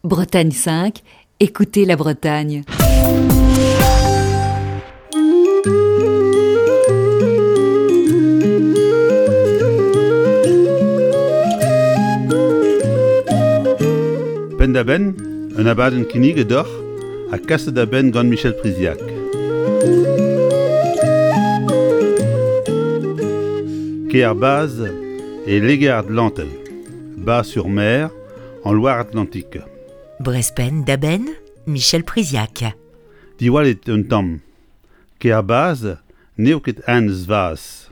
Bretagne 5, écoutez la Bretagne. Penn-da-benn, un abadenn kinniget deoc'h ha kaset da benn gant Michel Priziac. Kêr Baz e Liger-Atlantel, Bas-sur-Mer, en Loire-Atlantique. Brest penn-da-benn, Michel Priziac. Diwallit un tamm. Kêr Baz n'eo ket Enez Vaz.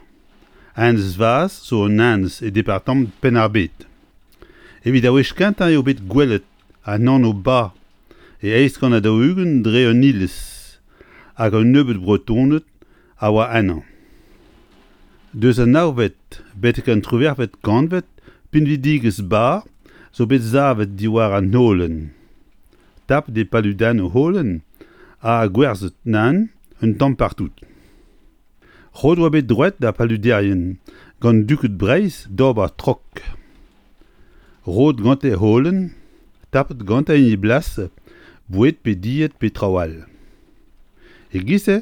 Enez Vaz zo un enez e departamant Penn-ar-Bed. Evit ar wech kentañ eo bet gwelet an anv Ba e 1840 dre un iliz hag un nebeud Bretoned a oa ennañ. Deus an navet betek an triwec'hvet kantved pinvidigezh Ba zo bet savet diwar an holen. Tapet e paludennoù holen ha gwerzhet nann un tamm partout. Roet oa bet droed d'ar paluderien gant duked Breizh d'ober trok. Roet gante holen, tapet gante en e blas boued pe died pe traoù all. E-giz-se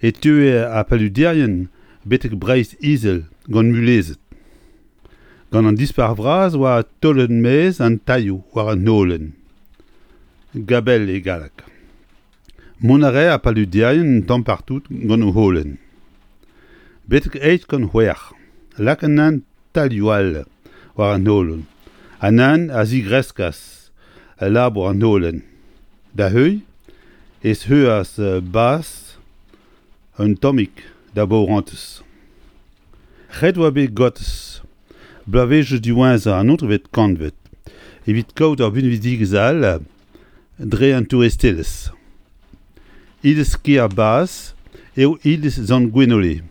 e teue ar paluderien betek Breizh-Izel gant mulezed. Gant an Dispac'h Vras oa taolet maez an tailhoù war an holen. Gabel e galleg. Mont a rae ar paluderien un tamm partout gant o holen. Betek 806 lak an tailhoù all war an holen. An hent a zigreskas labour an holen. Da heuilh ez heuas Bas un tammig da baourentez. Ret oa bet gotez bloavezhioù diwezhañ an naontekvet kantved evit kaout ur binvidigezh all dre an touristelezh. Iliz kêr Baz eo iliz Sant-Gwenole.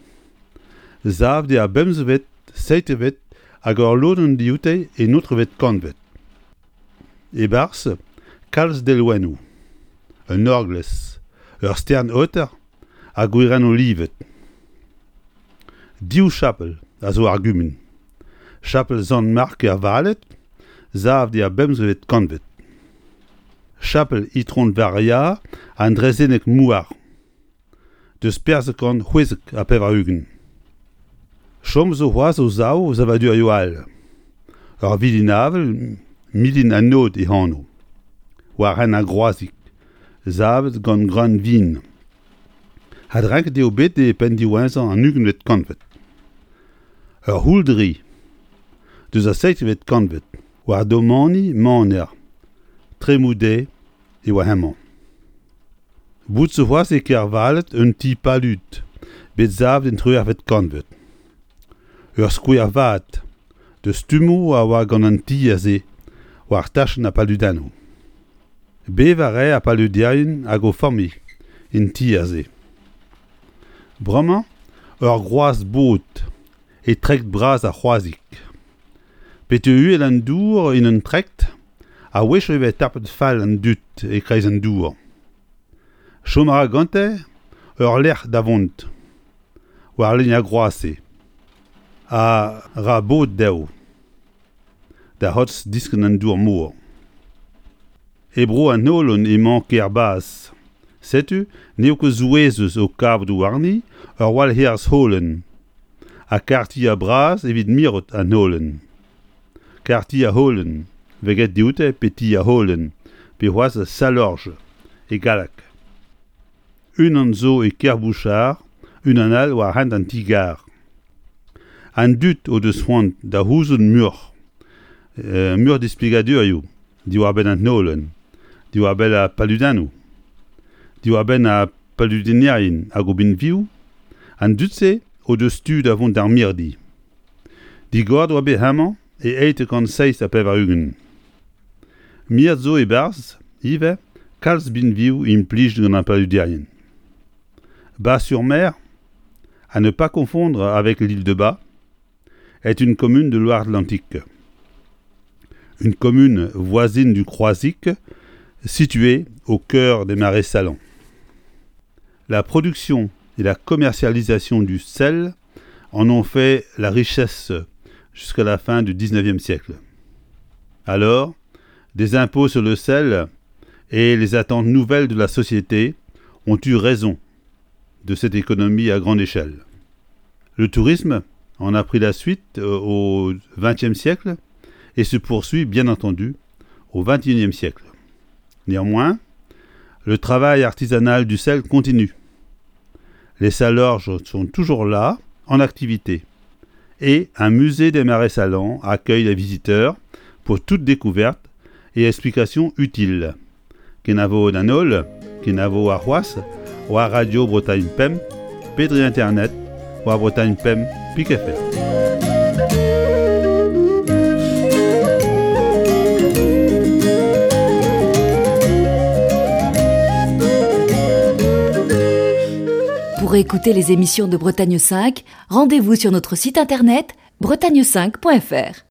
Savet eo ar bemzekvet, seitekvet hag ur lodenn dioute e naontekvet kantved. E-barzh kalz delwennoù, un orglez, ur stern-aoter ha gwerennoù livet. Div chapel a zo ar gumun. Chapel Sant-Mark er Valed, savet er bemzekvet kantved. Chapel Itron Varia an Draezhenneg Mouar, deus 1496. Chom zo c'hoazh o sav savadurioù all. Ur vilin-avel, Milin an Aod e anv, war hent ar Groazig, savet gant greun vin. Adrenket eo bet e penn diwezhañ an ugentvet kantved. Ur c'houldri deus ar seizhvet kantved war domani maner Tremoude e oa hemañ. Bout zo c'hoazh e Kervalet un ti palud bet savet en triwec'hvet kantved. Ur skouer vat deus stummoù a oa gant an tier-se war tachenn ar paludennoù. Bevañ a rae ar paluderien hag o familh en tier-se. Bremañ ur groaz bod e trekt bras ar C'hroazig. Pete uhel an dour en un trekt, a-wechoù e vez tapet fall an dud e-kreiz an dour. Chom a ra gante ur lec'h da vont war lein ar groaz-se a ra bod dezho da c'hortoz diskenn an dour mor. E bro an Holon emañ kêr Baz. Setu n'eo ket souezhus o kavout warni ur walc'herz holen ha karrtier bras evit mirout an holen. Karrtier holen 'vez graet dioute pe tier holen pe c'hoazh Salorge e galleg. Unan zo e Kerbouchard, unan all war hent an ti-gar. An dud o deus c'hoant da c'houzout muioc'h, muioc'h displegadurioù diwar-benn an holen, diwar-benn ar paludennoù, diwar-benn ar paludennerien hag o binvioù, an dud-se o deus tu da vont d'ar mirdi. Digoret oa bet hemañ e 887. Miret zo e-barzh ivez kalz binvioù implijet gant ar paluderien. Bas-sur-Mer, à ne pas confondre avec l'île de Bas, est une commune de Loire-Atlantique. Une commune voisine du Croisic, située au cœur des marais salants. La production et la commercialisation du sel en ont fait la richesse jusqu'à la fin du 19e siècle. Alors, des impôts sur le sel et les attentes nouvelles de la société ont eu raison de cette économie à grande échelle. Le tourisme en a pris la suite euh, au XXe siècle et se poursuit bien entendu au XXIe siècle. Néanmoins, le travail artisanal du sel continue. Les salorges sont toujours là, en activité. Et un musée des marais salants accueille les visiteurs pour toute découverte et explication utile. Kenavo d'an holl, kenavo arc'hoazh, war Radio Bretagne Pemp, pe dre internet war Bretagne Pemp pik fr. Pour écouter les émissions de Bretagne 5, rendez-vous sur notre site internet bretagne5.fr.